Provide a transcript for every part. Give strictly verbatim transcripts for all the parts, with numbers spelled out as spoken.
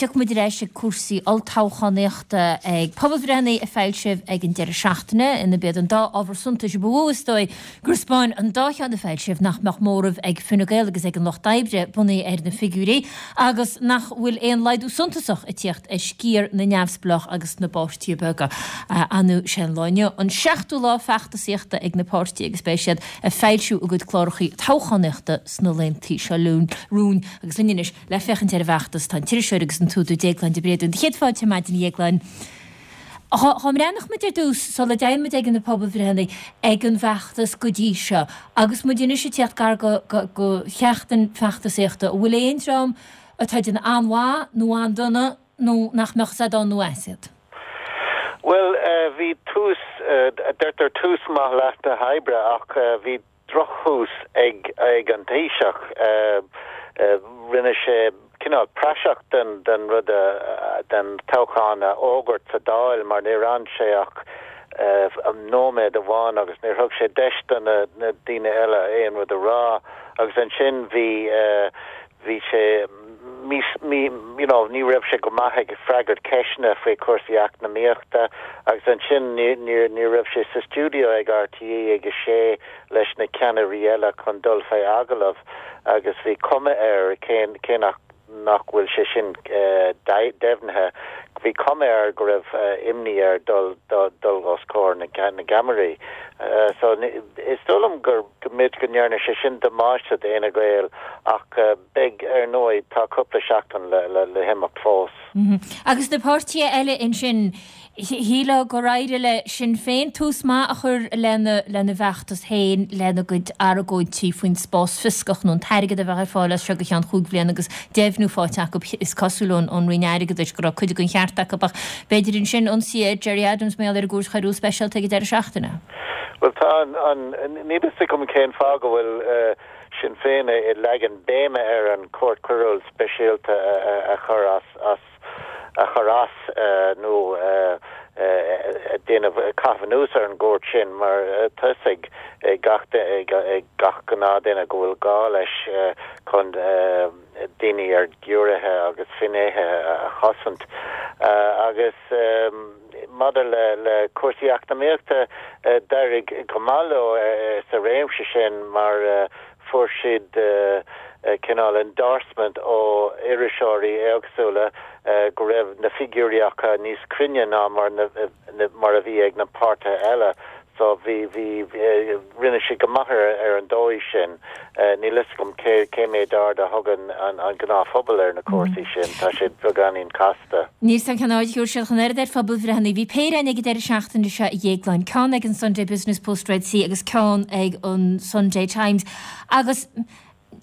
tiocfaidh muid ar ais ag cúrsaí olltoghchánaíochta, ag pobalbhreitheanna a foilsíodh ag an deireadh seachtaine, ina b'iad an dá ábhar suntais ba mhó is dóigh gur 'spáin an dá cheann a foilsíodh nach mbeadh móramh ag Fine Gael agus ag an Lucht Oibre, bunaithe ar na figiúirí, agus nach bhfuil aon laghdú suntasach ag tíocht ar sciar na neamhspleách agus na bpáirtithe beaga. Anu sé an lá inniu an seachtú lá feachtasaíochta ag na páirtithe agus beidh siad ag foilsiú a gcuid cláracha toghchánaíochta sna laethanta seo romhainn agus linn anois le féachaint ar an bhfeachtas tá an t-iriseoir agus an t-údar Déaglán de Bréadún. Céad fáilte ar maidin, a Dhéagláin. Dá mbreathnódh muid ar dtús, sula dtéann muid ag na pobalbhreitheanna, ag an bhfeachtas go dtí seo, agus muid anois ag tíocht gar go go sheachtain feachtasaíochta, an bhfuil aon dream atá ag déanamh an-mhaith nó an-dona nó nach mbeadh fhios a'd ann nó as iad? Bhuel, bhí tús, deirtear tús maith leath na hoibre ach bhí drochthús ag ag an Taoiseach. Rinne sé cineál praiseach den den rud den toghchán a fhógairt sa Dáil mar níor fhan sé ach nóiméad amháin agus níor thug sé deis do na na daoine eile aon rud a rá agus ansin bhí bhí sé mí mí you know ní raibh sé go maith ag freagairt ceisteanna faoi chúrsaí eacnamaíochta agus ansin ní ní ní raibh sé sa stiúideo ag R T É ag a sé leis na ceannairí eile chun dul fé agallamh agus bhí cuma air cé cé nach nach bhfuil sé sin deimhnithe bhí cuma air go raibh imní air dul dul os comhair na na gceamaraí. So is dóigh liom gur go mb'fhéidir go ndearna sé sin damáiste d'Fhine Gael ach beidh ar ndóigh tá cúpla seachtain le le le himeacht fós. Agus na páirtithe eile ansin shílfeá gur éirigh le Sinn Féin tús maith a chur lena lena bhfeachtas féin lena gcuid argóintí faoin spás fioscach nó an t-airgead a bheith ar fáil as seo go ceann cúig bliana agus deimhniú faighte acu is cosúil ón ón Roinn Airgeadais go raibh cuid den cheart acu ach b'fhéidir ansin ionsaí ar Gerry Adams mar gheall ar an gCúirt Choiriúil Speisialta ag an deireadh seachtaine. Well tá an ní fhios agam cén fáth go bhfuil Sinn Féin ag leagan béime ar an Chúirt Choiriúil Speisialta a chur as as a chur as nó déanamh caitheamh anuas ar an gcúirt sin mar tá a fhios ag gach ag gach gnáthdhuine go bhfuil gá leis chun daoine ar giúiréithe agus finnéithe a chosaint agus maidir le le cúrsaí eacnamaíochta d'éirigh go maith leo sa réimse sin mar fuair siad cineál endorsement ó iriseoirí éagsúla go raibh na figiúirí acu níos cruinne ná mar na, mar a bhí ag na páirtithe eile so bhí bhí rinne sé go maith ar an dóigh sin níl fhios agam cé cé méid aird a thugann an an gnáthphobal ar na cúrsaí sin tá sé beagáinín casta. Níos an canáid thuair siad chun aird ar phobalbhreitheanna bhí péire ag an deireadh seachtaine seo a Dhéagláin ceann ag an Sunday Business Post Red C agus ceann ag an Sunday Times agus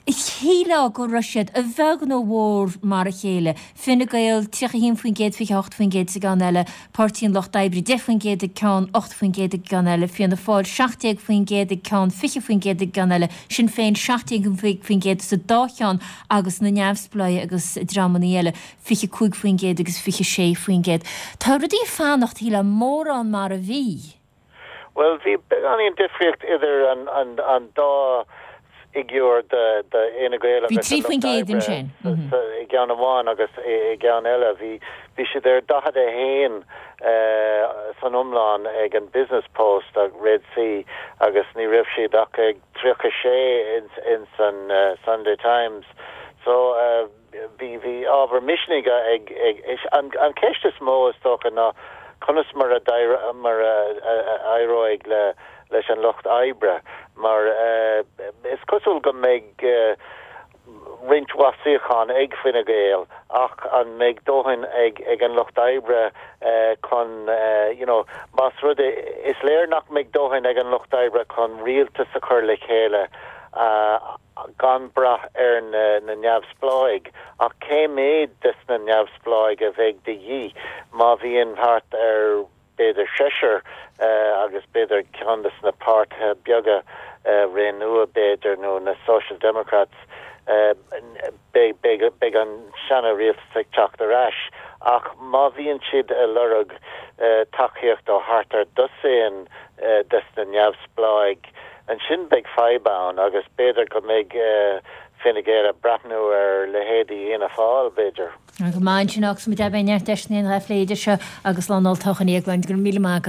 shílfeá go raibh siad a bheag nó mhór mar a chéile. Fine Gael tríocha haon faoin gcéad fiche hocht faoin gcéad sa gceann eile, Páirtí an Lucht Oibre deich faoin gcéad ag ceann ocht faoin gcéad ag ceann eile, Fianna Fáil seacht déag faoin gcéad ag ceann fiche faoin gcéad ag ceann eile, Sinn Féin seacht déag faoin gcéad sa dá cheann agus na neamhspleáigh agus dreamanna eile fiche cúig faoin gcéad agus fiche sé faoin gcéad. Tá rudaí ag fanacht shílfeá mórán mar a bhí. Well bhí beagáinín difríocht idir an an an dá fhigiúr de de Fhine Gael Bhí trí faoin gcéad ansin. i gceann amháin agus i gceann eile bhí bhí siad ar daichead a haon san iomlán ag an Business Post ag Red C agus ní raibh siad ach ag tríocha sé in in san uh, Sunday Times so uh, bhí bhí ábhar misnigh ag ag an an ceist is mó is dócha ná conas mar a mar a éireoidh le leis an lucht oibre mar uh, is cosúil go mbeidh uh, roinnt mhaith suíochán ag Fine Gael ach an mbeidh dóthain ag ag an lucht oibre uh, chun uh, you know más rud is léir nach mbeidh dóthain ag an lucht oibre chun rialtas a chur le chéile uh, gan brath ar na, na neamhspleáigh ach cé méid des na neamhspleáigh a bheidh de dhíth má bhíonn thart ar b'fhéidir seisear uh, agus b'fhéidir ceann des na páirtithe beaga uh, Ré Nua b'fhéidir nó na Social Democrats uh, beidh an seana-rialtas ag teacht ar ais ach má bhíonn siad ag lorg uh, tacaíocht ó thart ar dosaen uh, des na neamhspleáigh ansin beidh fadhb ann agus b'fhéidir go mbeidh uh, Fine Gael ag breathnú ar leithéidí Fhianna Fáil, b'fhéidir. Go maith sin agus muid beidh neart deiseanna ann a phlé idir seo agus lá an olltoghcháin a Dhéagláin, go raibh míle maith agat.